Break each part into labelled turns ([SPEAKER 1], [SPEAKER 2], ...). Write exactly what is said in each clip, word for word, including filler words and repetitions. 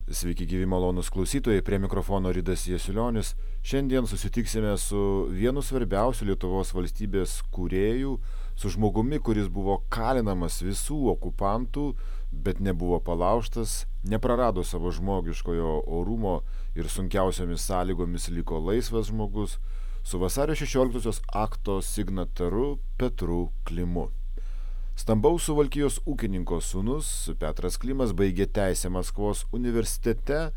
[SPEAKER 1] Sveiki gyvi malonūs klausytojai, prie mikrofono Ridas Jasiulionis. Šiandien susitiksime su vienu svarbiausių Lietuvos valstybės kūrėjų, su žmogumi, kuris buvo kalinamas visų okupantų, bet nebuvo palaužtas, neprarado savo žmogiškojo orumo ir sunkiausiomis sąlygomis liko laisvas žmogus, su vasario šešioliktosios akto signataru Petru Klimu. Stambaus Suvalkijos ūkininko sūnus Petras Klimas baigė teisę Maskvos universitete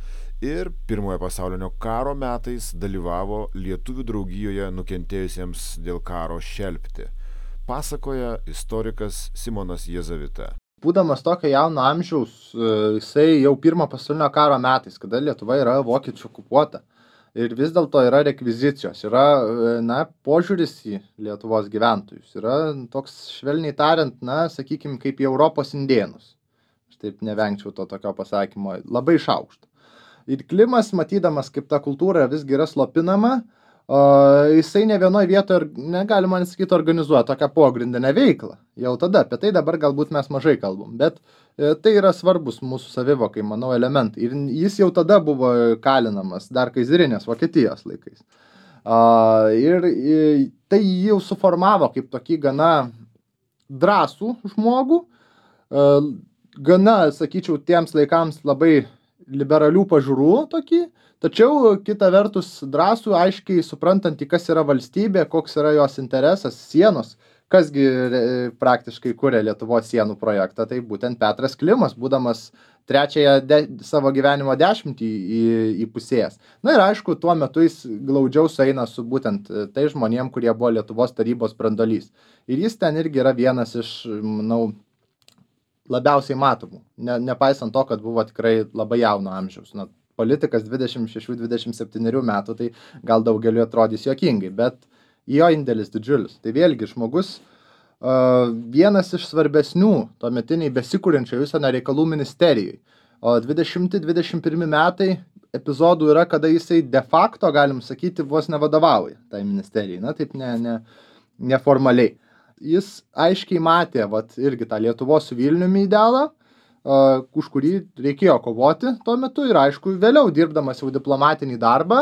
[SPEAKER 1] ir Pirmojo pasaulinio karo metais dalyvavo Lietuvių draugijoje nukentėjusiems dėl karo šelpti. Pasakoja istorikas Simonas Jezavita.
[SPEAKER 2] Būdamas tokio jauno amžiaus, jisai jau Pirmo pasaulinio karo metais, kada Lietuva yra vokiečių okupuota. Ir vis dėlto yra rekvizicijos, yra na, požiūris į Lietuvos gyventojus, yra toks, švelniai tariant, na, sakykime, kaip į Europos indėnus. Aš taip nevengčiau to tokio pasakymo, labai šaukšta. Ir Klimas, matydamas, kaip ta kultūra visgi yra slopinama, o, jisai ne vienoje vietoje, negalima nesakyti, organizuoja tokią pogrindinę veiklą. Jau tada, apie tai dabar galbūt mes mažai kalbam, bet e, tai yra svarbus mūsų savivokai, manau, elementai. Ir jis jau tada buvo kalinamas, dar kaizarinės Vokietijos laikais. A, ir e, tai jau suformavo kaip tokį gana drąsų žmogų, e, gana, sakyčiau, tiems laikams labai liberalių pažiūrų tokį, tačiau kita vertus drąsų, aiškiai suprantantį, kas yra valstybė, koks yra jos interesas, sienos, kasgi praktiškai kuria Lietuvos sienų projektą, tai būtent Petras Klimas, būdamas trečiąją de, savo gyvenimo dešimtį į, į pusės. Na ir aišku, tuo metu jis glaudžiau sueina su būtent tai žmonėm, kurie buvo Lietuvos tarybos brandolys. Ir jis ten irgi yra vienas iš, manau, labiausiai matomų, ne, nepaisant to, kad buvo tikrai labai jauno amžiaus. Na, politikas dvidešimt šešių dvidešimt septynių metų, tai gal daugeliu atrodys juokingai, bet jo indėlis didžiulis. Tai vėlgi žmogus uh, vienas iš svarbesnių tuometiniai besikūrenčio užsienio reikalų ministerijai. O dvidešimti dvidešimt pirmi metai epizodų yra, kada jisai de facto, galim sakyti, vos nevadovauja tai ministerijai, na taip ne, ne, neformaliai. Jis aiškiai matė, vat, irgi tą Lietuvos su Vilniumi idealą, Uh, už kurį reikėjo kovoti tuo metu ir aišku, vėliau dirbdamas jau diplomatinį darbą,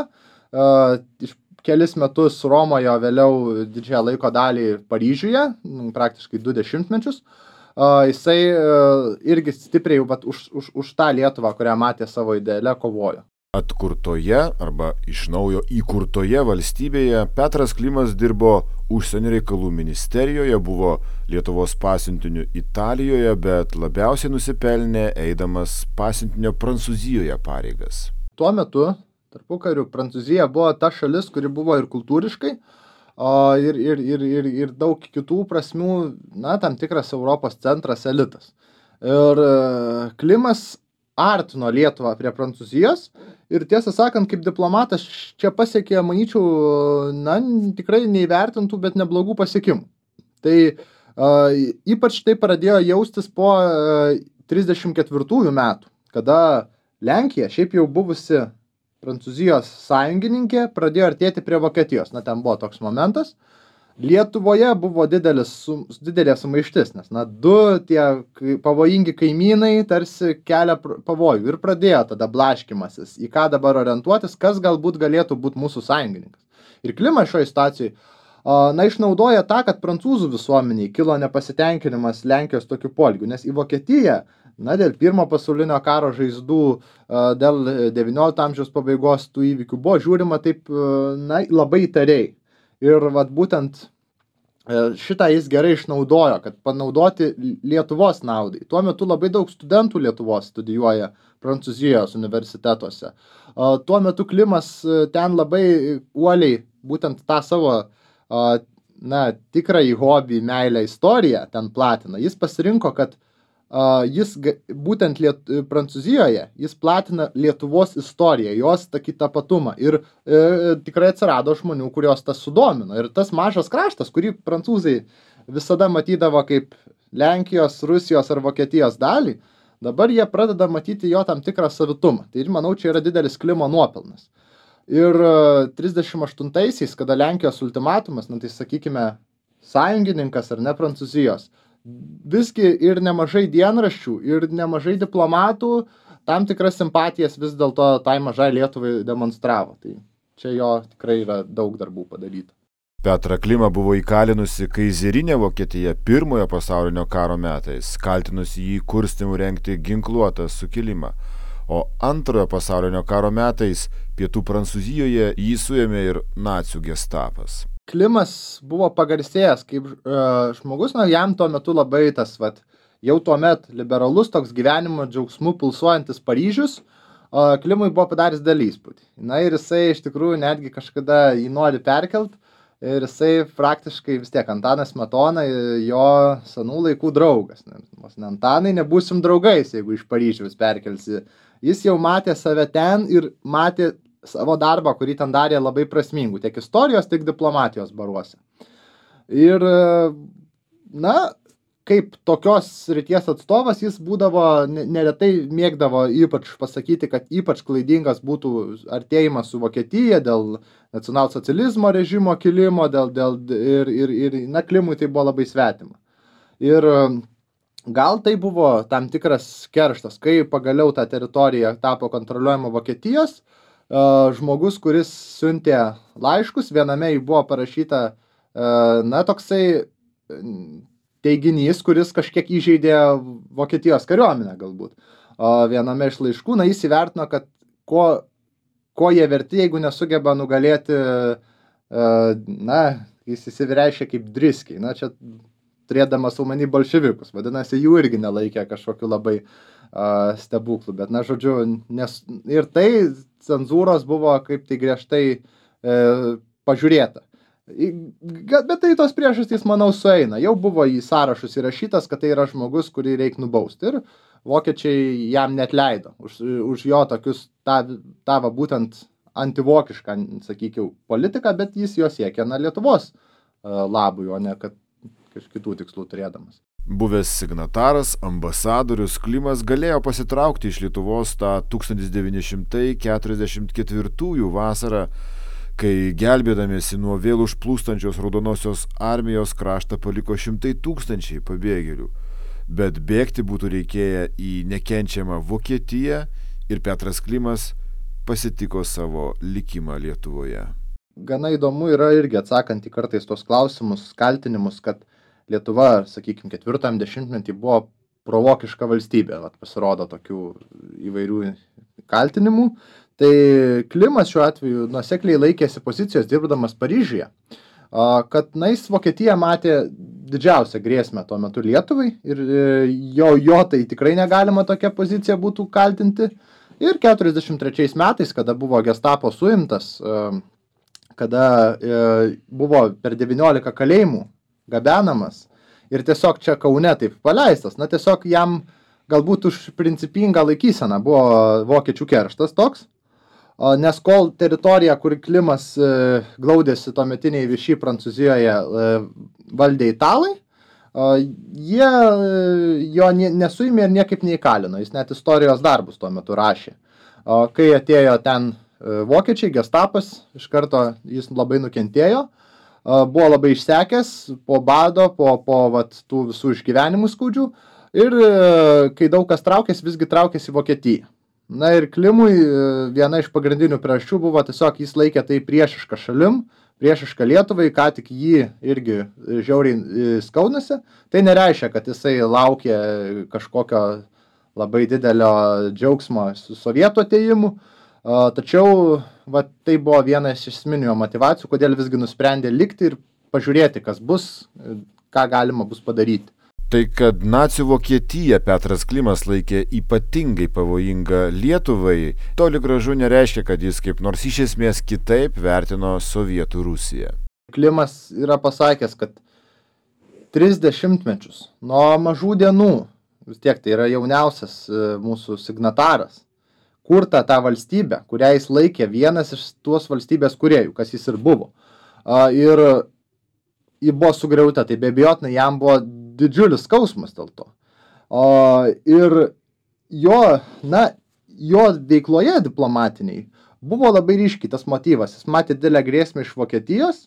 [SPEAKER 2] uh, iš kelis metus Romoje, vėliau didžiąją laiko dalį Paryžiuje, praktiškai du dešimtmečius, uh, jisai uh, irgi stipriai vat, už, už, už tą Lietuvą, kurią matė savo ideale, kovojo.
[SPEAKER 1] Atkurtoje arba iš naujo įkurtoje valstybėje Petras Klimas dirbo užsienio reikalų ministerijoje, buvo Lietuvos pasiuntiniu Italijoje, bet labiausiai nusipelnė eidamas pasiuntinio Prancūzijoje pareigas.
[SPEAKER 2] Tuo metu, tarpukariu, Prancūzija buvo ta šalis, kuri buvo ir kultūriškai, o, ir, ir, ir, ir, ir daug kitų prasmių, na, tam tikras Europos centras, elitas. Ir Klimas artino Lietuvą prie Prancūzijos ir tiesą sakant, kaip diplomatas čia pasiekė, manyčiau, na, tikrai neįvertintų, bet neblogų pasiekimų. Tai uh, ypač tai pradėjo jaustis po uh, trisdešimt ketvirtųjų metų, kada Lenkija, šiaip jau buvusi Prancūzijos sąjungininkė, pradėjo artėti prie Vokietijos. Na, ten buvo toks momentas. Lietuvoje buvo didelis, didelė sumaištis, nes na, du tie pavojingi kaimynai tarsi kelia pavojų ir pradėjo tada blaškymasis, į ką dabar orientuotis, kas galbūt galėtų būti mūsų sąjungininkas. Ir Klimas šioje situacijoje na, išnaudoja tą, kad prancūzų visuomeniai kilo nepasitenkinimas Lenkijos tokiu poelgiu, nes į Vokietiją, na, dėl Pirmo pasaulinio karo žaizdų, dėl devyniolikto amžiaus pabaigos tų įvykių buvo žiūrima taip, na, labai įtariai. Ir vat būtent šitą jis gerai išnaudojo, kad panaudoti Lietuvos naudai. Tuo metu labai daug studentų Lietuvos studijuoja Prancūzijos universitetuose. Tuo metu Klimas ten labai uoliai būtent tą savo, na, tikrąjį hobį, meilę, istoriją ten platina. Jis pasirinko, kad Uh, jis būtent Liet, Prancūzijoje, jis platina Lietuvos istoriją, jos tokį tapatumą ir e, tikrai atsirado žmonių, kurios tas sudomino. Ir tas mažas kraštas, kurį prancūzai visada matydavo kaip Lenkijos, Rusijos ar Vokietijos dalį, dabar jie pradeda matyti jo tam tikrą savitumą. Tai ir manau, čia yra didelis Klimo nuopelnas. Ir trisdešimt aštuntaisiais, kada Lenkijos ultimatumas, na tai sakykime, sąjungininkas ar ne Prancūzijos, visgi ir nemažai dienraščių, ir nemažai diplomatų tam tikras simpatijas vis dėlto tai mažai Lietuvai demonstravo. Tai čia jo tikrai yra daug darbų padaryta.
[SPEAKER 1] Petrą Klimą buvo įkalinusi kaizerinė Vokietija pirmojo pasaulinio karo metais, kaltinusi jį kurstimu rengti ginkluotą sukilimą. O antrojo pasaulinio karo metais pietų Prancūzijoje jį suėmė ir nacių gestapas.
[SPEAKER 2] Klimas buvo pagarsėjęs kaip uh, žmogus, na, jam tuo metu labai tas, vat, jau tuomet liberalus toks gyvenimo džiaugsmų pulsuojantis Paryžius, uh, Klimui buvo padaręs didelį įspūdį. Na ir jisai iš tikrųjų netgi kažkada jį nori perkelt ir jisai praktiškai vis tiek Antanas Smetona jo senų laikų draugas. Nes Antanai nebūsim draugais, jeigu iš Paryžiaus perkelsi. Jis jau matė save ten ir matė savo darbą, kurį ten darė labai prasmingų, tiek istorijos, tiek diplomatijos baruose. Ir, na, kaip tokios srities atstovas, jis būdavo, neretai mėgdavo ypač pasakyti, kad ypač klaidingas būtų artėjimas su Vokietija dėl nacionalsocializmo režimo kilimo, dėl, dėl, ir, ir, ir, na, Klimui tai buvo labai svetima. Ir gal tai buvo tam tikras kerštas, kai pagaliau ta teritorija tapo kontroliuojama Vokietijos, žmogus, kuris siuntė laiškus, viename jį buvo parašyta, na, toksai teiginys, kuris kažkiek įžeidė Vokietijos kariuomenę galbūt. O viename iš laiškų, na, jis įvertino, kad ko, ko jie verti, jeigu nesugeba nugalėti, na, jis įsireiškė kaip driskiai. Na, čia turėdamas omeny bolševikus, vadinasi, jų irgi nelaikė kažkokiu labai uh, stebuklų. Bet, na, žodžiu, nes, ir tai cenzūros buvo kaip tai griežtai e, pažiūrėta. Bet tai tos priežastys, manau, sueina. Jau buvo į sąrašus įrašytas, kad tai yra žmogus, kurį reikia nubausti. Ir vokiečiai jam net leido už, už jo tokius tą, tą va, būtent antivokišką, sakykiau, politiką, bet jis jo siekia, na, Lietuvos labui, o ne kad kažkitų tikslų turėdamas.
[SPEAKER 1] Buvęs signataras, ambasadorius Klimas galėjo pasitraukti iš Lietuvos tą tūkstantis devyni šimtai keturiasdešimt ketvirtųjų vasarą, kai gelbėdamiesi nuo vėl užplūstančios raudonosios armijos kraštą paliko šimtai tūkstančiai pabėgėlių. Bet bėgti būtų reikėję į nekenčiamą Vokietiją ir Petras Klimas pasitiko savo likimą Lietuvoje.
[SPEAKER 2] Gana įdomu yra irgi atsakant į kartais tos klausimus, kaltinimus, kad Lietuva, sakykime, ketvirtam dešimtmetį buvo provokiška valstybė, vat, pasirodo tokių įvairių kaltinimų. Tai Klimas šiuo atveju nuosekliai laikėsi pozicijos dirbdamas Paryžiuje, kad na, jis Vokietiją matė didžiausią grėsmę tuo metu Lietuvai ir jo, jo tai tikrai negalima tokia pozicija būtų kaltinti. Ir keturiasdešimt trečiais metais, kada buvo Gestapo suimtas, kada buvo per devyniolika kalėjimų gabenamas ir tiesiog čia Kaune taip paleistas, na tiesiog jam galbūt už principingą laikyseną buvo vokiečių kerštas toks, nes kol teritorija, kur Klimas glaudėsi tuometiniai Vichy Prancūzijoje valdė italai, jie jo nesuėmė ir niekaip neįkalino, jis net istorijos darbus tuo metu rašė. Kai atėjo ten vokiečiai, Gestapas, iš karto jis labai nukentėjo, buvo labai išsekęs po bado, po, po vat, tų visų išgyvenimų skaudžių ir kai daug kas traukėsi, visgi traukėsi į Vokietiją. Na ir Klimui viena iš pagrindinių priežasčių buvo tiesiog jis laikė tai priešišką šalim, priešišką Lietuvai, ką tik jį irgi žiauriai skaudinasi. Tai nereiškia, kad jisai laukė kažkokio labai didelio džiaugsmo su sovietų atėjimu. Tačiau va, tai buvo viena iš esminių motyvacijų, kodėl visgi nusprendė likti ir pažiūrėti, kas bus, ką galima bus padaryti.
[SPEAKER 1] Tai, kad nacių Vokietija Petras Klimas laikė ypatingai pavojinga Lietuvai, toli gražu nereiškia, kad jis kaip nors iš esmės kitaip vertino Sovietų Rusiją.
[SPEAKER 2] Klimas yra pasakęs, kad tris dešimtmečius nuo mažų dienų, vis tiek tai yra jauniausias mūsų signataras, kurta tą valstybę, kurią jis laikė vienas iš tuos valstybės kūrėjų, kas jis ir buvo. Ir ji buvo sugriauta, tai be abejotinai jam buvo didžiulis skausmas dėl to. O, ir jo, na, jo veikloje diplomatiniai buvo labai ryškiai tas motyvas. Jis matė didelę grėsmę iš Vokietijos,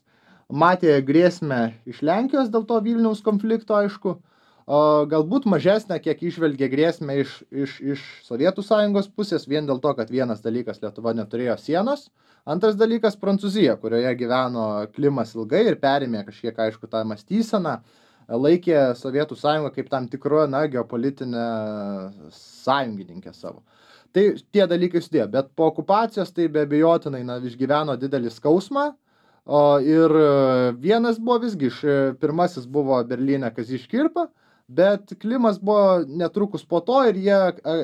[SPEAKER 2] matė grėsmę iš Lenkijos dėl to Vilniaus konflikto, aišku, O galbūt mažesnę, kiek išvelgė grėsmę iš, iš, iš Sovietų sąjungos pusės, vien dėl to, kad vienas dalykas Lietuva neturėjo sienos, antras dalykas Prancūzija, kurioje gyveno Klimas ilgai ir perėmė kažkiek, aišku, tą mąstyseną, laikė Sovietų sąjungą kaip tam tikro, na, geopolitinę sąjungininkę savo. Tai tie dalykai sudėjo, bet po okupacijos tai be abejotinai, na, išgyveno didelį skausmą. O ir vienas buvo visgi, iš, pirmasis buvo Berlyne Kazys Škirpa, bet Klimas buvo netrukus po to ir jie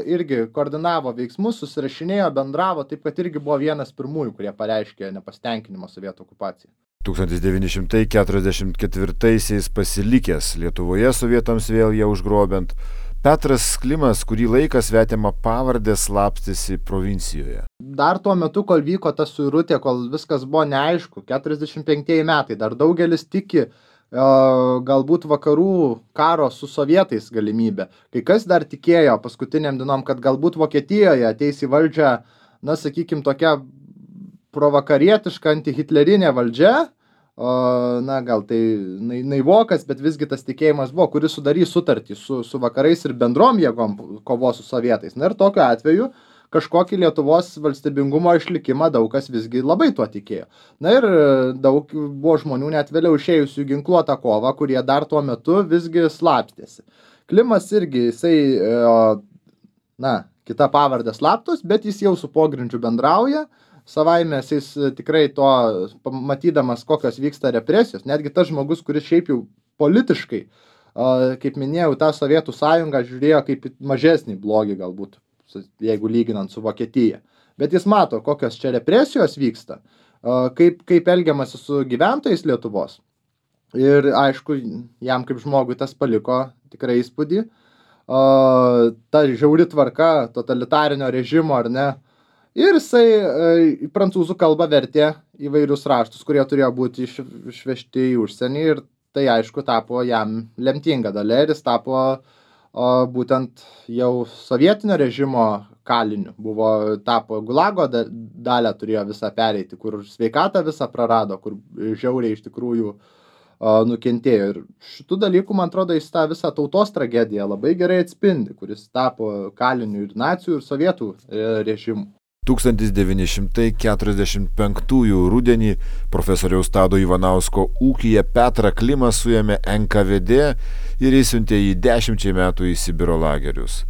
[SPEAKER 2] irgi koordinavo veiksmus, susirašinėjo, bendravo, taip kad irgi buvo vienas pirmųjų, kurie pareiškė nepasitenkinimą Sovietų okupaciją.
[SPEAKER 1] tūkstantis devyni šimtai keturiasdešimt ketvirtaisiais pasilikęs Lietuvoje sovietams vėl ją užgrobiant, Petras Klimas kurį laiką svetimą pavardę slapstėsi provincijoje.
[SPEAKER 2] Dar tuo metu, kol vyko ta suirutė, kol viskas buvo neaišku, keturiasdešimt penktieji metai, dar daugelis tiki galbūt vakarų karo su sovietais galimybė. Kai kas dar tikėjo paskutiniam dienom, kad galbūt Vokietijoje ateis į valdžią, na, sakykim, tokia provakarietiška antihitlerinė valdžia, o, na, gal tai naivokas, bet visgi tas tikėjimas buvo, kuris sudarys sutartį su, su vakarais ir bendrom jėgom kovos su sovietais. Na ir tokiu atveju kažkokį Lietuvos valstybingumo išlikimą daug kas visgi labai tuo tikėjo. Na ir daug buvo žmonių net vėliau išėjusių ginkluotą kovą, kurie dar tuo metu visgi slapstėsi. Klimas irgi, jisai, na, kita pavardė slaptos, bet jis jau su pogrindžiu bendrauja. Savaime jis tikrai to, matydamas, kokios vyksta represijos, netgi tas žmogus, kuris šiaip jau politiškai, kaip minėjau, tą Sovietų sąjungą žiūrėjo kaip mažesnį blogį galbūt, jeigu lyginant su Vokietija. Bet jis mato, kokios čia represijos vyksta, kaip, kaip elgiamasi su gyventojais Lietuvos. Ir aišku, jam kaip žmogui tas paliko tikrai įspūdį. Ta žiauri tvarka totalitarinio režimo, ar ne? Ir jisai į prancūzų kalbą vertė įvairius raštus, kurie turėjo būti išvežti į užsienį. Ir tai, aišku, tapo jam lemtinga dalia ir jis tapo o būtent jau sovietinio režimo kaliniu. Buvo, tapo Gulago dalę turėjo visą pereiti, kur sveikatą visą prarado, kur žiauriai iš tikrųjų o, nukentėjo. Ir šitų dalykų, man atrodo, jis tą visą tautos tragediją labai gerai atspindi, kuris tapo kaliniu ir nacijų, ir sovietų režimų.
[SPEAKER 1] tūkstantis devyni šimtai keturiasdešimt penktųjų rudenį profesoriaus Tado Ivanausko ūkyje Petrą Klimą suėmė N K V D ir išsiuntė jį dešimčiai metų į Sibiro lagerius.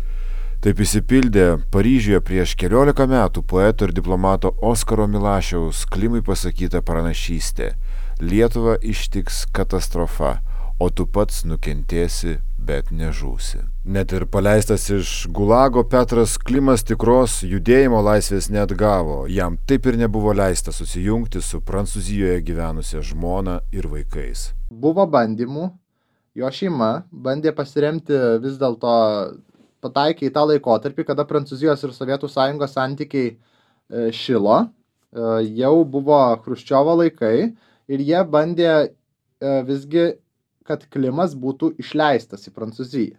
[SPEAKER 1] Taip įsipildė Paryžiuje prieš keliolika metų poeto ir diplomato Oskaro Milašiaus Klimui pasakyta pranašystė: Lietuvą ištiks katastrofa, o tu pats nukentėsi, bet nežūsi. Net ir paleistas iš Gulago, Petras Klimas tikros judėjimo laisvės neatgavo. Jam taip ir nebuvo leista susijungti su Prancūzijoje gyvenusia žmona ir vaikais.
[SPEAKER 2] Buvo bandymų, jo šeima bandė pasiremti vis dėlto, pataikė į tą laikotarpį, kada Prancūzijos ir Sovietų sąjungos santykiai šilo, jau buvo Chruščiovo laikai ir jie bandė visgi, kad Klimas būtų išleistas į Prancūziją.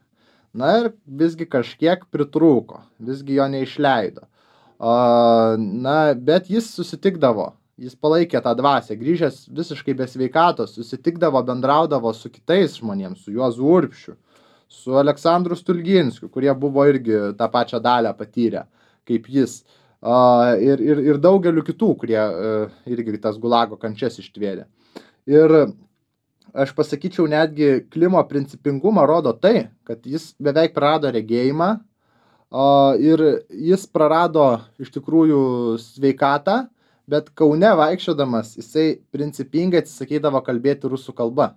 [SPEAKER 2] Na ir visgi kažkiek pritrūko, visgi jo neišleido. O, na, bet jis susitikdavo, jis palaikė tą dvasią, grįžęs visiškai be sveikatos, susitikdavo, bendraudavo su kitais žmonėms, su Juozu Urbšiu, su Aleksandru Stulginskiu, kurie buvo irgi tą pačią dalę patyrę, kaip jis, o, ir, ir, ir daugeliu kitų, kurie irgi tas Gulago kančias ištvėrė. Ir aš pasakyčiau, netgi Klimo principingumą rodo tai, kad jis beveik prarado regėjimą o, ir jis prarado iš tikrųjų sveikatą, bet Kaune vaikščiodamas jisai principingai atsisakydavo kalbėti rusų kalba.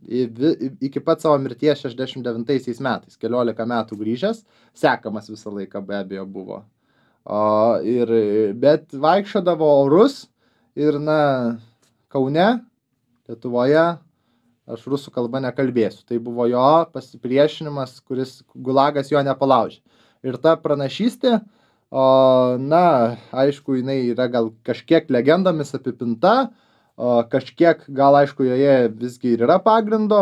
[SPEAKER 2] I, iki pat savo mirties šešiasdešimt devintaisiais metais, keliolika metų grįžęs, sekamas visą laiką be abejo buvo. O, ir, bet vaikščiodavo orus ir, na, Kaune, Lietuvoje, aš rusų kalba nekalbėsiu. Tai buvo jo pasipriešinimas, kuris Gulagas jo nepalaužė. Ir ta pranašystė, o, na, aišku, jinai yra gal kažkiek legendomis apipinta, o, kažkiek gal, aišku, joje visgi ir yra pagrindo,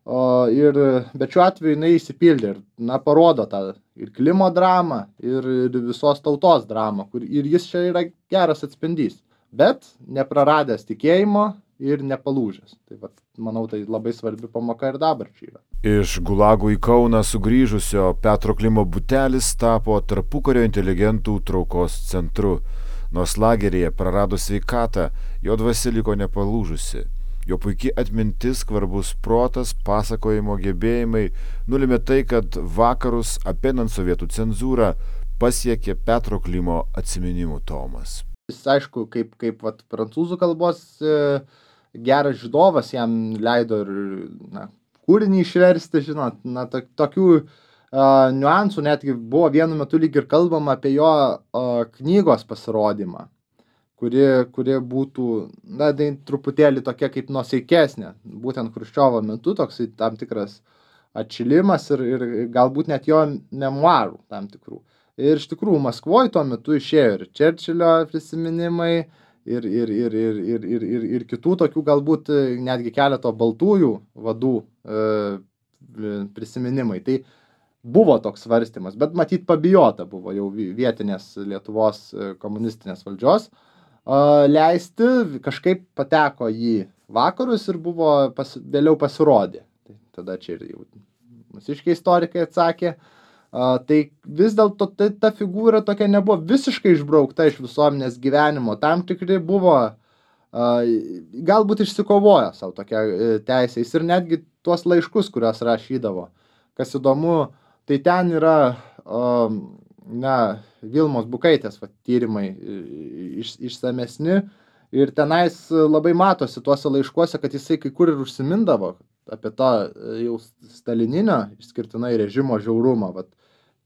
[SPEAKER 2] o, ir, bet šiuo atveju jinai įsipildė ir, na, parodo tą ir Klimo dramą, ir, ir visos tautos dramą, kur ir jis čia yra geras atspindys. Bet nepraradęs tikėjimo ir nepalūžęs. Tai vat, manau, tai labai svarbi pamoka ir dabarčiai yra.
[SPEAKER 1] Iš Gulagų į Kauną sugrįžusio Petro Klimo butelis tapo tarpukario inteligentų traukos centru. Nors lageryje prarado sveikatą, jo dvasia liko nepalūžusi. Jo puikiai atmintis, skvarbus protas, pasakojimo gebėjimai nulėmė tai, kad vakarus apeinant sovietų cenzūrą pasiekė Petro Klimo atsiminimų tomas.
[SPEAKER 2] Jis, aišku, kaip, kaip vat, prancūzų kalbos e, geras žydovas jam leido ir na, kūrinį išversti, žinot, na, to, tokių e, niuansų netgi buvo vienu metu lyg ir kalbama apie jo e, knygos pasirodymą, kuri, kuri būtų, na, tai truputėlį tokia kaip nuosaikesnė, būtent Chruščiovo metu toksai tam tikras atšilimas ir, ir galbūt net jo memuarų tam tikrų. Ir iš tikrųjų Maskvoje tuo metu išėjo ir Čerčilio prisiminimai, ir, ir, ir, ir, ir, ir, ir, ir kitų tokių galbūt netgi keleto baltųjų vadų e, prisiminimai. Tai buvo toks svarstymas, bet matyt pabijota buvo jau vietinės Lietuvos komunistinės valdžios e, leisti, kažkaip pateko į vakarus ir buvo pas, vėliau pasirodė. Tai tada čia ir jau mūsiškiai istorikai atsakė. Uh, tai vis dėlto ta, ta figūra tokia nebuvo visiškai išbraukta iš visuomenės gyvenimo. Tam tikri buvo, uh, galbūt išsikovojo savo tokią uh, teisę. Jis ir netgi tuos laiškus, kuriuos rašydavo. Kas įdomu, tai ten yra uh, na, Vilmos Bukaitės va, tyrimai iš, išsamesni. Ir tenais labai matosi tuose laiškuose, kad jisai kai kur ir užsimindavo apie tą jau stalininio išskirtinai režimo žiaurumą. Vat,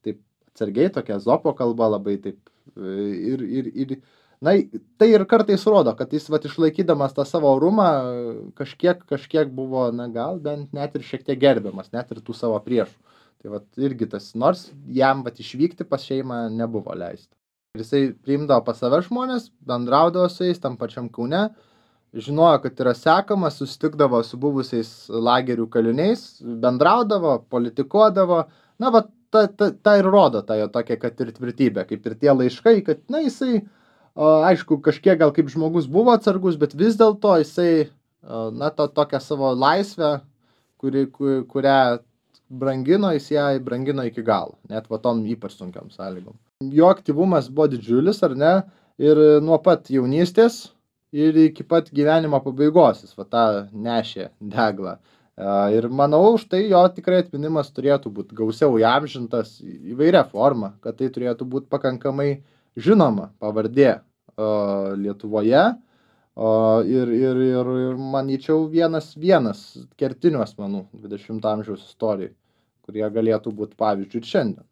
[SPEAKER 2] taip atsargiai tokia Ezopo kalba labai taip. Ir, ir, ir, na, tai ir kartais rodo, kad jis vat, išlaikydamas tą savo orumą kažkiek, kažkiek buvo, na gal bent net ir šiek tiek gerbiamas, net ir tų savo priešų. Tai vat, irgi tas, nors jam vat, išvykti pas šeimą nebuvo leista. Ir jisai priimdavo pas save žmonės, bendraudavo su jais tam pačiam Kaune, žinojo, kad yra sekamas, susitikdavo su buvusiais lagerių kaliniais, bendraudavo, politikuodavo. Na, va, ta, ta, ta ir rodo tą jo tokią, kad ir tvirtybę, kaip ir tie laiškai, kad, na, jisai, o, aišku, kažkiek gal kaip žmogus buvo atsargus, bet vis dėlto jisai, o, na, to tokią savo laisvę, kuri, kur, kurią brangino, jis ją brangino iki galo, net va tom ypač sunkiam sąlygom. Jo aktyvumas buvo didžiulis, ar ne, ir nuo pat jaunystės ir iki pat gyvenimo pabaigos jis va tą nešė deglą. Ir manau, už tai jo tikrai atminimas turėtų būti gausiau įamžintas įvairia forma, kad tai turėtų būti pakankamai žinoma pavardė Lietuvoje. Ir, ir, ir, ir manyčiau vienas vienas kertinių asmenų dvidešimto amžiaus istorijai, kurie galėtų būti pavyzdžių ir šiandien.